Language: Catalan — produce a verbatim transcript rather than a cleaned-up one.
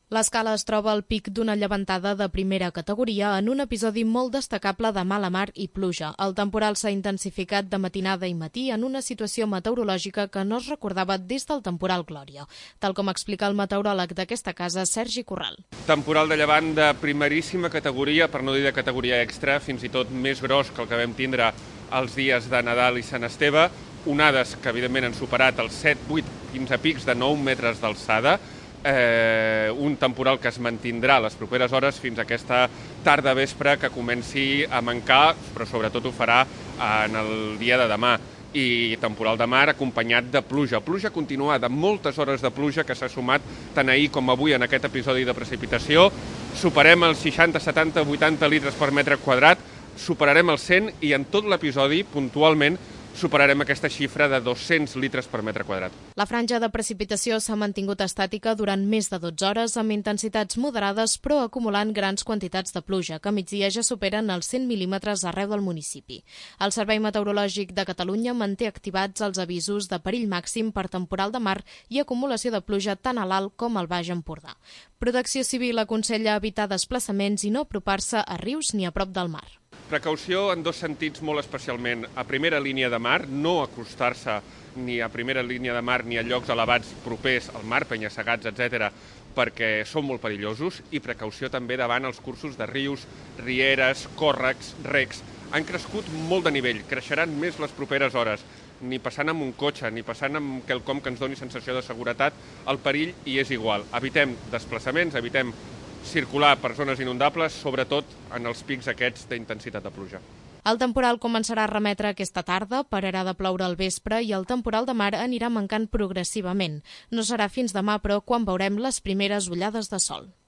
L'Escala es troba al pic d'una llevantada de primera categoria en un episodi molt destacable de mala mar i pluja. El temporal s'ha intensificat de matinada i matí en una situació meteorològica que no es recordava des del temporal Glòria, tal com explica el meteoròleg d'aquesta casa, Sergi Corral. Temporal de llevant de primeríssima categoria, per no dir de categoria extra, fins i tot més gros que el que vam tindre els dies de Nadal i Sant Esteve, onades que evidentment han superat els set, vuit, fins a pics de nou metres d'alçada, Eh, un temporal que es mantindrà les properes hores fins a aquesta tarda vespre que comenci a mancar, però sobretot ho farà en el dia de demà. I temporal de mar acompanyat de pluja. Pluja continuada, moltes hores de pluja que s'ha sumat tant ahir com avui en aquest episodi de precipitació. Superem els seixanta, setanta, vuitanta litres per metre quadrat, superarem els cent i en tot l'episodi, puntualment, superarem aquesta xifra de dos-cents litres per metre quadrat. La franja de precipitació s'ha mantingut estàtica durant més de dotze hores amb intensitats moderades però acumulant grans quantitats de pluja, que a migdia ja superen els cent mil·límetres arreu del municipi. El Servei Meteorològic de Catalunya manté activats els avisos de perill màxim per temporal de mar i acumulació de pluja tant a l'Alt com al Baix Empordà. Protecció Civil aconsella evitar desplaçaments i no apropar-se a rius ni a prop del mar. Precaució en dos sentits molt especialment. A primera línia de mar, no acostar-se ni a primera línia de mar ni a llocs elevats propers al mar, penya-segats, etcètera, perquè són molt perillosos, i precaució també davant els cursos de rius, rieres, còrrecs, recs. Han crescut molt de nivell, creixeran més les properes hores. Ni passant amb un cotxe, ni passant amb quelcom que ens doni sensació de seguretat, el perill hi és igual. Evitem desplaçaments, evitem circular per zones inundables, sobretot en els pics aquests d'intensitat de pluja. El temporal començarà a remetre aquesta tarda, pararà de ploure al vespre i el temporal de mar anirà mancant progressivament. No serà fins demà, però, quan veurem les primeres ullades de sol.